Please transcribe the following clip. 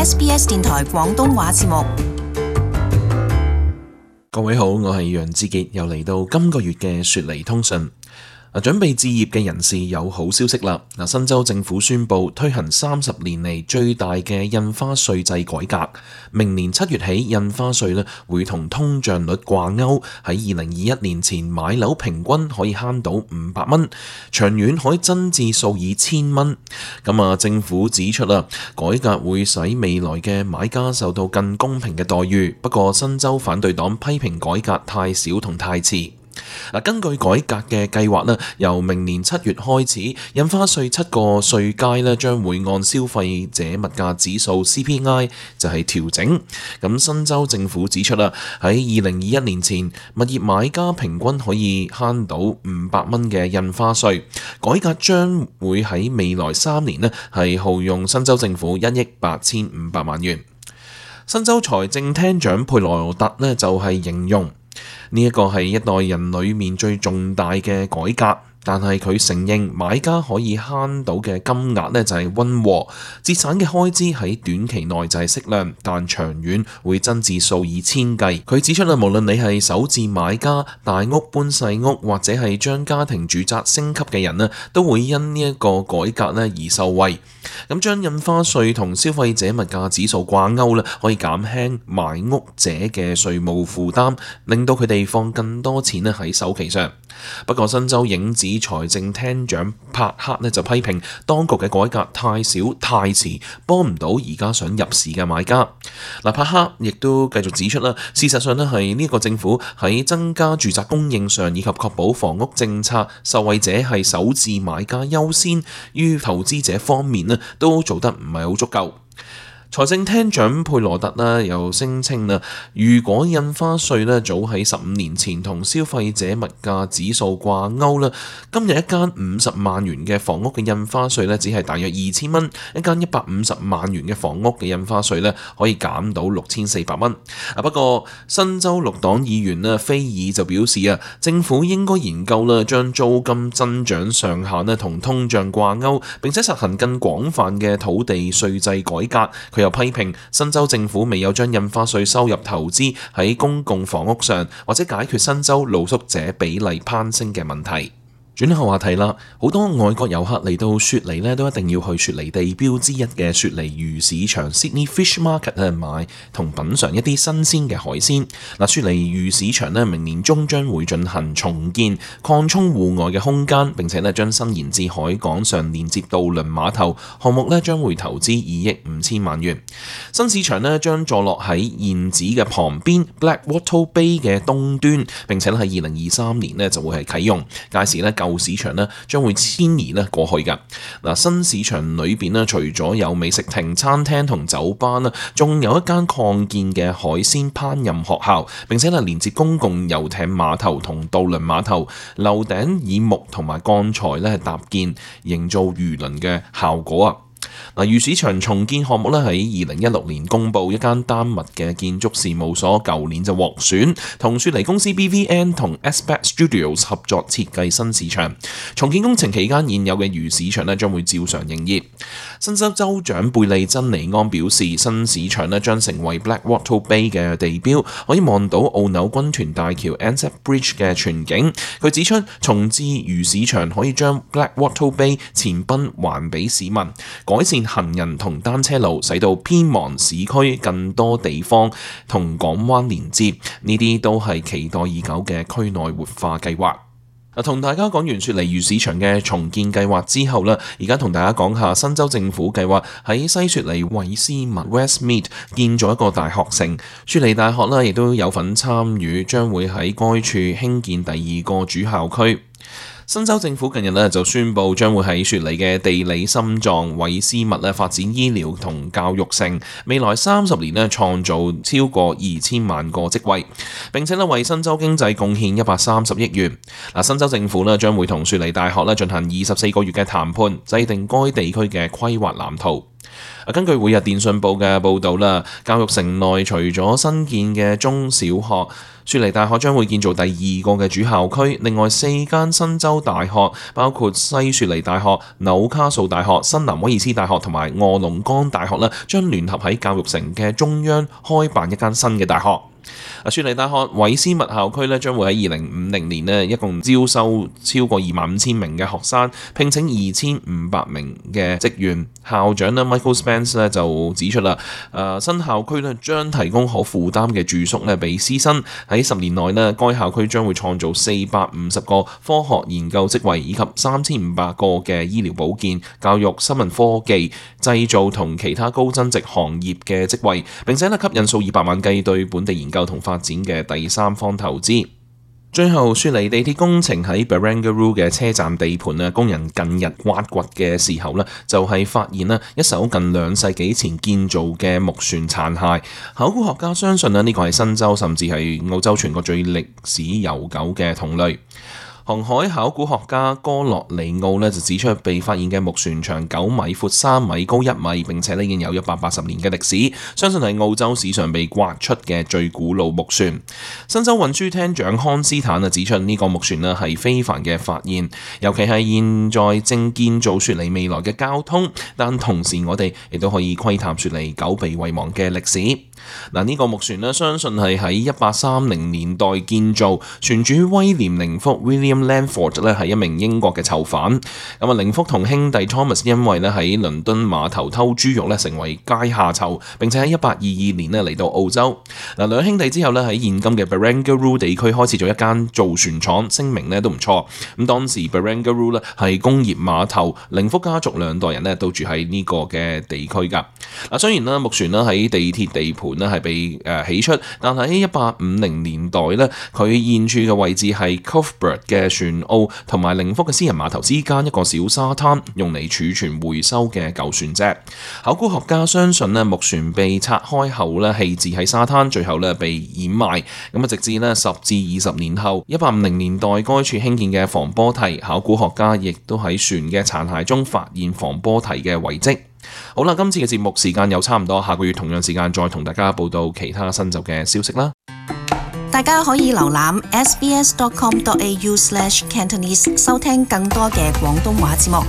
SBS 電台廣東話節目。各位好，我係楊志傑，又嚟到今個月嘅雪梨通訊。準備置業嘅人士有好消息啦！新州政府宣布推行30年嚟最大嘅印花稅制改革，明年7月起印花稅會同通脹率掛鈎，喺2021年前買樓平均可以慳到500蚊，長遠可以增至數以千蚊。政府指出改革會使未來嘅買家受到更公平嘅待遇，不過新州反對黨批評改革太少同太遲。根據改革嘅計劃，由明年7月開始，印花稅7個稅階將會按消費者物價指數 CPI 就係調整。新州政府指出喺2021年前，物業買家平均可以慳到500蚊嘅印花稅。改革將會喺未來3年係耗用新州政府1億8500萬元。新州財政廳長佩羅特就係形容呢一個係一代人裏面最重大嘅改革，但係佢承認買家可以慳到嘅金額就係溫和，節省嘅開支喺短期內就係適量，但長遠會增至數以千計。佢指出無論你係首置買家、大屋搬細屋，或者係將家庭住宅升級嘅人都會因呢一個改革而受惠。將印花稅同消費者物價指數掛鈎可以減輕買屋者嘅稅務負擔，令到佢哋放更多錢喺首期上。不過新州影子財政廳長帕克就批評當局嘅改革太少太遲，幫唔到而家想入市嘅買家。帕克亦都繼續指出事實上係呢個政府喺增加住宅供應上，以及確保房屋政策受惠者係首置買家優先於投資者方面都做得唔係好足夠。財政廳長佩羅特又聲稱如果印花稅早喺15年前同消費者物價指數掛鈎，今日一間50萬元嘅房屋嘅印花稅只係大約2000蚊，一間150萬元嘅房屋嘅印花稅可以減到6400蚊。不過新州綠黨議員菲爾就表示政府應該研究將租金增長上限同通脹掛鈎，並且實行更廣泛嘅土地稅制改革。又批評新州政府未有將印花稅收入投資喺公共房屋上，或者解決新州露宿者比例攀升嘅問題。轉下話題啦，好多外國遊客嚟到雪梨都一定要去雪梨地標之一嘅雪梨魚市場 Sydney Fish Market 買同品嚐一啲新鮮嘅海鮮。雪梨魚市場明年中將會進行重建，擴充戶外嘅空間，並且將伸延至海港上連接渡輪碼頭。項目將會投資2億5千萬元。新市場將坐落喺現址嘅旁邊 Blackwattle Bay 嘅東端，並且喺2023年就會係啟用。屆時舊市場將會遷移過去㗎。新市場裏邊除咗有美食亭、餐廳同酒吧仲有一間擴建嘅海鮮烹飪學校，並且連接公共遊艇碼頭同渡輪碼頭。樓頂以木同埋鋼材搭建，營造魚鱗嘅效果。魚市場重建項目喺2016年公佈，一間丹麥嘅建築事務所舊年就獲選，同雪梨公司 BVN 同 Aspect Studios 合作設計新市場。重建工程期間，現有嘅魚市場將會照常營業。新州州長貝利珍尼安表示，新市場將成為 Blackwattle Bay 嘅地標，可以望到澳紐軍團大橋 Anzac Bridge 嘅全景。佢指出，重置魚市場可以將 Blackwattle Bay 前濱還俾市民，改善行人同單車路，使到偏忙市區更多地方同港灣連接，呢啲都係期待已久嘅區內活化計劃。同大家講完雪梨魚市場嘅重建計劃之後而家同大家講下新州政府計劃喺西雪梨韋斯密 Westmead 建咗一個大學城。雪梨大學亦都有份參與，將會喺該處興建第2個主校區。新州政府近日就宣布，將會喺雪梨嘅地理心臟韋斯密發展醫療同教育城，未來30年創造超過2000萬個職位，並且為新州經濟貢獻130億元。新州政府將會同雪梨大學進行24個月嘅談判，制定該地區嘅規劃藍圖。根據每日電訊報嘅報導啦，教育城內除咗新建嘅中小學，雪梨大學將會建造第2個嘅主校區，另外4間新州大學，包括西雪梨大學、紐卡素大學、新南威爾斯大學同埋臥龍崗大學啦，將聯合喺教育城嘅中央開辦一間新嘅大學。雪梨大學韋斯密校區咧將會喺2050年咧一共招收超過25,000名嘅學生，聘請2,500名嘅職員。校長咧 Michael Spence 咧就指出啦，新校區咧將提供可負擔嘅住宿咧俾師生。喺10年內咧，該校區將會創造450個科學研究職位，以及3,500個嘅醫療保健、教育、新聞科技、製造同其他高增值行業嘅職位，並且咧吸引數以百萬計對本地研究同發展嘅第三方投資。最後，雪梨地鐵工程喺 Barangaroo 嘅車站地盤咧，工人近日挖掘嘅時候咧，就係發現啦一艘近2世紀前建造嘅木船殘骸。考古學家相信咧呢個係新州甚至係澳洲全國最歷史悠久嘅同類。航海考古學家哥洛尼奧就指出，被發現嘅木船長9米、闊3米、高1米，並且已經有180年嘅歷史，相信係澳洲史上被挖出嘅最古老木船。新州運輸廳長康斯坦指出，呢個木船係非凡嘅發現，尤其係現在正建造雪梨未來嘅交通，但同時我哋亦都可以窺探雪梨久被遺忘嘅歷史。呢個木船相信係喺1830年代建造，船主威廉寧福 William Langford 係一名英國嘅囚犯。寧福同兄弟 Thomas 因為喺倫敦碼頭偷豬肉成為階下囚，並且喺1822年嚟到澳洲。兩兄弟之後喺現今嘅 Barangaroo 地區開設咗一間造船廠，聲名都唔錯。當時 Barangaroo 係工業碼頭，寧福家族2代人都住喺呢個嘅地區㗎。雖然木船喺地鐵地盤係被起出，但喺1850年代佢現處嘅位置係 Cuthbert 嘅船澳同埋寧福嘅私人碼頭之間一個小沙灘，用嚟儲存回收嘅舊船隻。考古學家相信木船被拆開後棄置喺沙灘，最後被掩埋。直至10至20年後，1850年代該處興建嘅防波堤，考古學家亦都喺船嘅殘骸中發現防波堤嘅遺跡。好啦，今次嘅節目時間又差唔多，下個月同樣時間再同大家報道其他新州嘅消息啦。大家可以瀏覽 sbs.com.au/cantonese 收聽更多嘅廣東話節目。